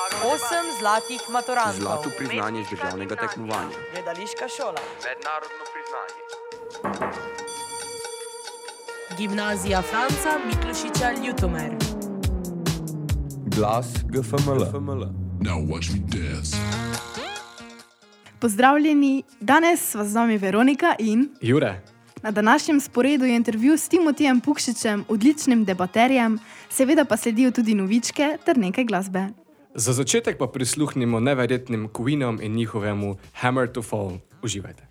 8 zlatih maturantov. Zlato priznanje iz državnega tekmovanja. Gledališka šola. Mednarodno priznanje. Gimnazija Franca Miklošiča Ljutomer. Glas GFML. Now watch me dance. Pozdravljeni, danes sva z vami Veronika in Jure. Na današnjem sporedu je intervju s Timotijem Pukšičem, odličnim debaterjem, seveda pa sledijo tudi novičke ter nekaj glasbe. Za začetek pa prisluhnimo neverjetnim Queenom in njihovemu Hammer to Fall. Uživajte.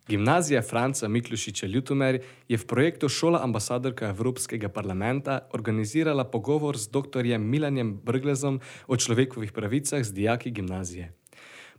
Gimnazija Franca Miklošiča Ljutomer je v projektu Šola ambasadorka Evropskega parlamenta organizirala pogovor z dr. Milanjem Brglezom o človekovih pravicah z dijaki gimnazije.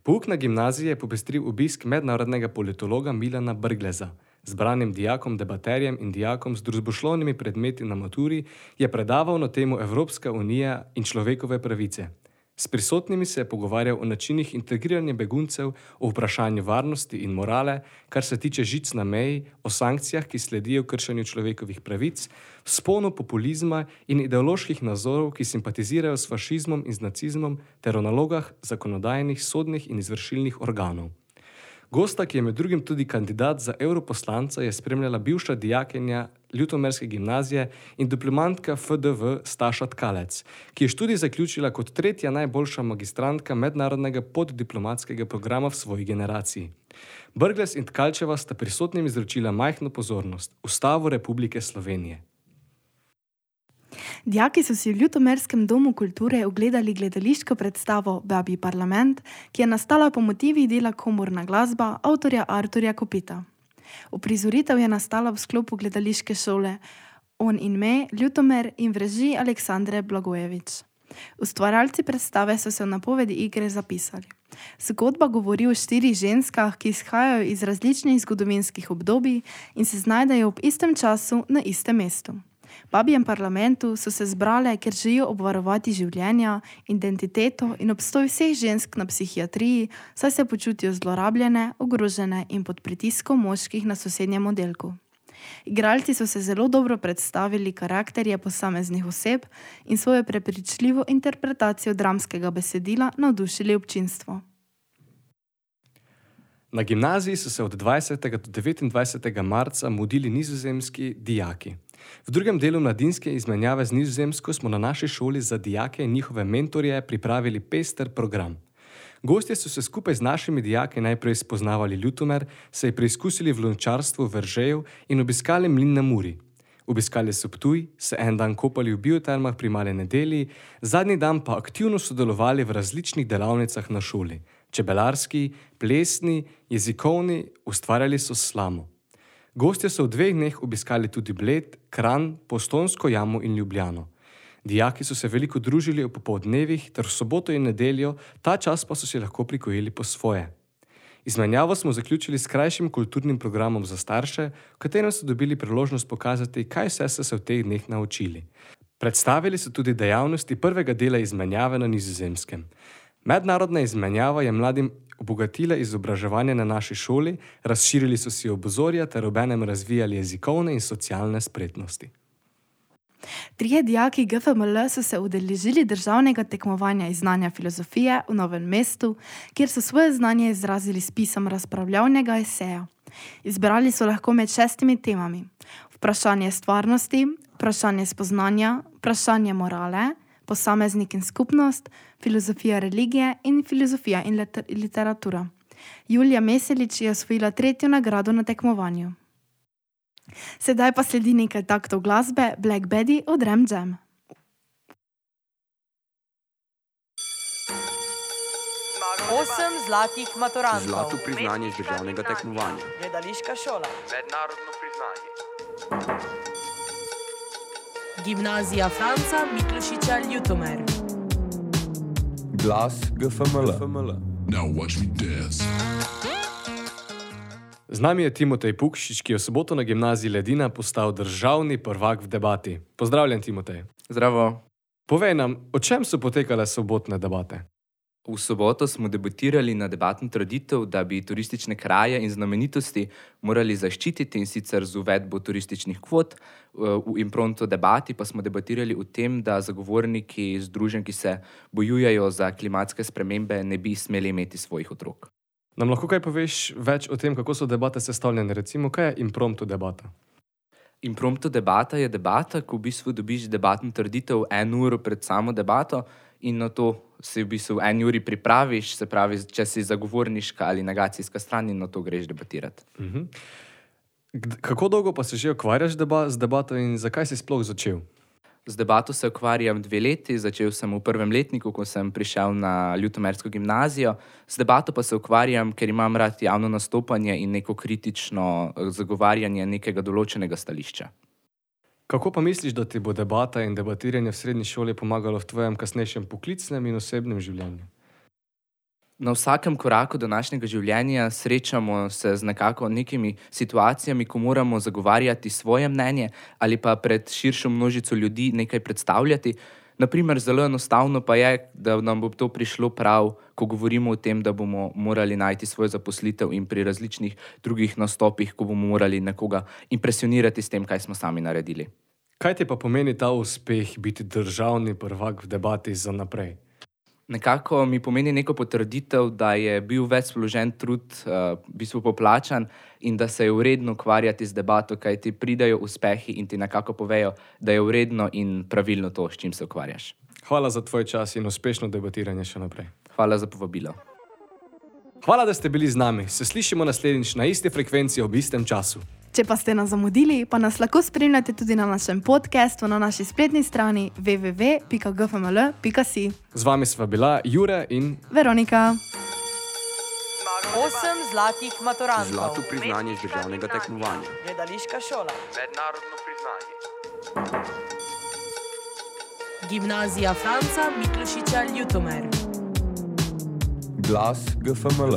Pouk na gimnaziji je popestril obisk mednarodnega politologa Milana Brgleza. Zbranim dijakom, debaterjem in dijakom z družboslovnimi predmeti na maturi je predaval na temo Evropska unija in človekove pravice. S prisotnimi se je pogovarjal o načinih integriranja beguncev, o vprašanju varnosti in morale, kar se tiče žic na meji, o sankcijah, ki sledijo kršenju človekovih pravic, vzponu populizma in ideoloških nazorov, ki simpatizirajo s fašizmom in z nacizmom, ter o nalogah zakonodajnih, sodnih in izvršilnih organov. Gosta, ki je med drugim tudi kandidat za europoslanca, je spremljala bivša dijakinja Ljutomerske gimnazije in diplomantka FDV Staša Tkalec, ki je študij zaključila kot tretja najboljša magistrantka mednarodnega poddiplomatskega programa v svoji generaciji. Brglez in Tkalčeva sta prisotnim izročila majhno pozornost, Ustavo Republike Slovenije. Dijaki so si v Ljutomerskem domu kulture ogledali gledališko predstavo Babji parlament, ki je nastala po motivih dela Komorna glasba avtorja Arturja Kopita. Uprizoritev je nastala v sklopu gledališke šole On in me, Ljutomer in v režiji Aleksandre Blagojevič. Ustvarjalci predstave so se v napovedi igre zapisali. Zgodba govori o 4 ženskah, ki izhajajo iz različnih zgodovinskih obdobij in se znajdejo ob istem času na istem mestu. V Babjem parlamentu so se zbrale, ker želijo obvarovati življenja, identiteto in obstoj vseh žensk na psihiatriji, saj se počutijo zlorabljene, ogrožene in pod pritiskom moških na sosednjem oddelku. Igralci so se zelo dobro predstavili karakterje posameznih oseb in svojo prepričljivo interpretacijo dramskega besedila navdušili občinstvo. Na gimnaziji so se od 20. do 29. marca mudili nizozemski dijaki. V drugem delu mladinske izmenjave z Nizozemsko smo na naši šoli za dijake in njihove mentorje pripravili pester program. Gostje so se skupaj z našimi dijaki najprej spoznavali Ljutomer, se preizkusili v lončarstvu v Veržeju in obiskali mlin na Muri. Obiskali so Ptuj, se en dan kopali v biotermah pri Mali nedelji, zadnji dan pa aktivno sodelovali v različnih delavnicah na šoli. Čebelarski, plesni, jezikovni, ustvarjali so slamo. Gostje so v 2 dneh obiskali tudi Bled, Kranj, Postojnsko jamo in Ljubljano. Dijaki so se veliko družili ob popoldnevih ter v soboto in nedeljo, ta čas pa so si lahko prikojili po svoje. Izmenjavo smo zaključili s krajšim kulturnim programom za starše, v katerem so dobili priložnost pokazati, kaj vse so se v teh dneh naučili. Predstavili so tudi dejavnosti prvega dela izmenjave na Nizozemskem. Mednarodna izmenjava je mladim obogatila izobraževanje na naši šoli, razširili so si obzorja ter obenem razvijali jezikovne in socialne spretnosti. 3 dijaki GFML so se udeležili državnega tekmovanja iz znanja filozofije v Novem mestu, kjer so svoje znanje izrazili s pisom razpravljavnega eseja. Izbrali so lahko med 6 temami: vprašanje stvarnosti, vprašanje spoznanja, vprašanje morale, posameznik in skupnost, filozofija religije in filozofija in literatura. Julija Meselič je osvojila 3. nagrado na tekmovanju. Sedaj pa sledi nekaj taktov glasbe Black Betty od Ram Jam. Osem zlatih maturantov. Zlato priznanje iz državnega tekmovanja. Gledališka šola. Mednarodno priznanje. Gimnazija Franca Miklošiča Ljutomer. Glas GFML. Now watch me dance. Z nami je Timotej Pukšič, ki je v soboto na gimnaziji Ledina postal državni prvak v debati. Pozdravljen, Timotej. Zdravo. Povej nam, o čem so potekale sobotne debate? V soboto smo debatirali na debatno trditev, da bi turistične kraje in znamenitosti morali zaščititi, in sicer z uvedbo turističnih kvot. V impronto debati pa smo debatirali o tem, da zagovorniki združenj, ki se bojujejo za klimatske spremembe, ne bi smeli imeti svojih otrok. Nam lahko kaj poveš več o tem, kako so debate sestavljene? Recimo, kaj je impromptu debata? Impromptu debata je debata, ko v bistvu dobiš debatno trditev 1 uro pred samo debato in na to se v bistvu 1 uri pripraviš, se pravi, če si zagovorniška ali negacijska stran, in na to greš debatirati. Kako dolgo pa se že ukvarjaš z debato in zakaj si sploh začel? Z debato se ukvarjam 2 leti, začel sem v 1. letniku, ko sem prišel na Ljutomersko gimnazijo. Z debato pa se ukvarjam, ker imam rad javno nastopanje in neko kritično zagovarjanje nekega določenega stališča. Kako pa misliš, da ti bo debata in debatiranje v srednji šoli pomagalo v tvojem kasnejšem poklicnem in osebnem življenju? Na vsakem koraku današnjega življenja srečamo se z nekimi situacijami, ko moramo zagovarjati svoje mnenje ali pa pred širšo množico ljudi nekaj predstavljati. Naprimer, zelo enostavno pa je, da nam bo to prišlo prav, ko govorimo o tem, da bomo morali najti svojo zaposlitev, in pri različnih drugih nastopih, ko bomo morali nekoga impresionirati s tem, kaj smo sami naredili. Kaj ti pa pomeni ta uspeh biti državni prvak v debati za naprej? Nekako mi pomeni neko potrditev, da je bil več vložen trud, v bistvu poplačan, in da se je vredno ukvarjati z debato, kaj ti pridajo uspehi in ti nekako povejo, da je vredno in pravilno to, s čim se ukvarjaš. Hvala za tvoj čas in uspešno debatiranje še naprej. Hvala za povabilo. Hvala, da ste bili z nami. Se slišimo naslednjič na isti frekvenci ob istem času. Če pa ste nas zamudili, pa nas lahko spremljate tudi na našem podcastu na naši spletni strani www.gfml.si. Z vami sva bila Jure in Veronika. 8 zlatih maturantov. Zlato priznanje iz državnega tekmovanja. Gledališka šola. Mednarodno priznanje. Gimnazija Franca Miklošiča Ljutomer. Glas GFML.